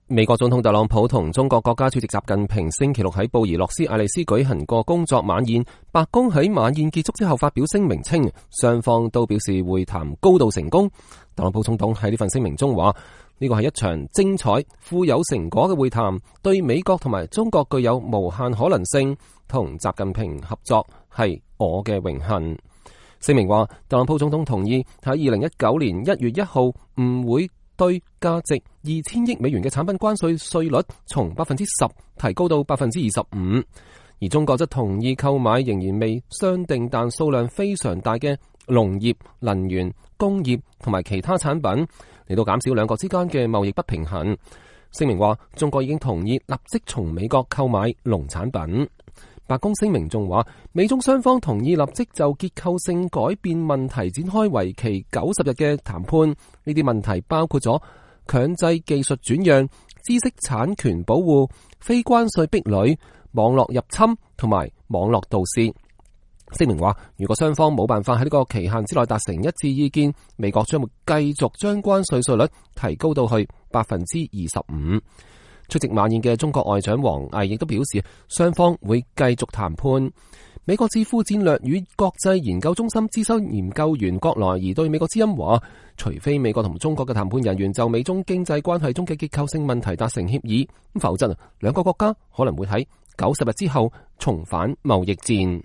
美國總統特朗普同中國國家主席習近平星期六喺布宜諾斯艾利斯舉行過工作晚宴。白宮喺晚宴結束之後發表聲明稱，雙方都表示會談高度成功。特朗普總統喺呢份聲明中話，呢個係一場精彩、富有成果嘅會談，對美國同埋中國具有無限可能性。同習近平合作係我嘅榮幸。聲明話，特朗普總統同意喺2019年1月1號唔會對價值2000億美元嘅產品關稅稅率從 10% 提高到 25%， 而中國則同意購買仍然未商定但數量非常大嘅農業、能源、工業同埋其他產品，嚟到減少兩國之間嘅貿易不平衡。聲明話，中國已經同意立即從美國購買農產品。白宮聲明仲話，美中雙方同意立即就結構性改變問題展開為期90日嘅談判。呢啲問題包括咗強制技術轉讓、知識產權保護、非關稅壁壘、網絡入侵同埋網絡盜竊。聲明話，如果雙方冇辦法喺呢個期限之內達成一致意見，美國將會繼續將關稅稅率提高到去 25%。出席晚宴嘅中國外長王毅亦都表示，雙方會繼續談判。美國智庫戰略與國際研究中心資深研究員郭萊儀對美國之音話，除非美國同中國嘅談判人員就美中經濟關係中嘅結構性問題達成協議，否則兩個國家可能會喺90日之後重返貿易戰。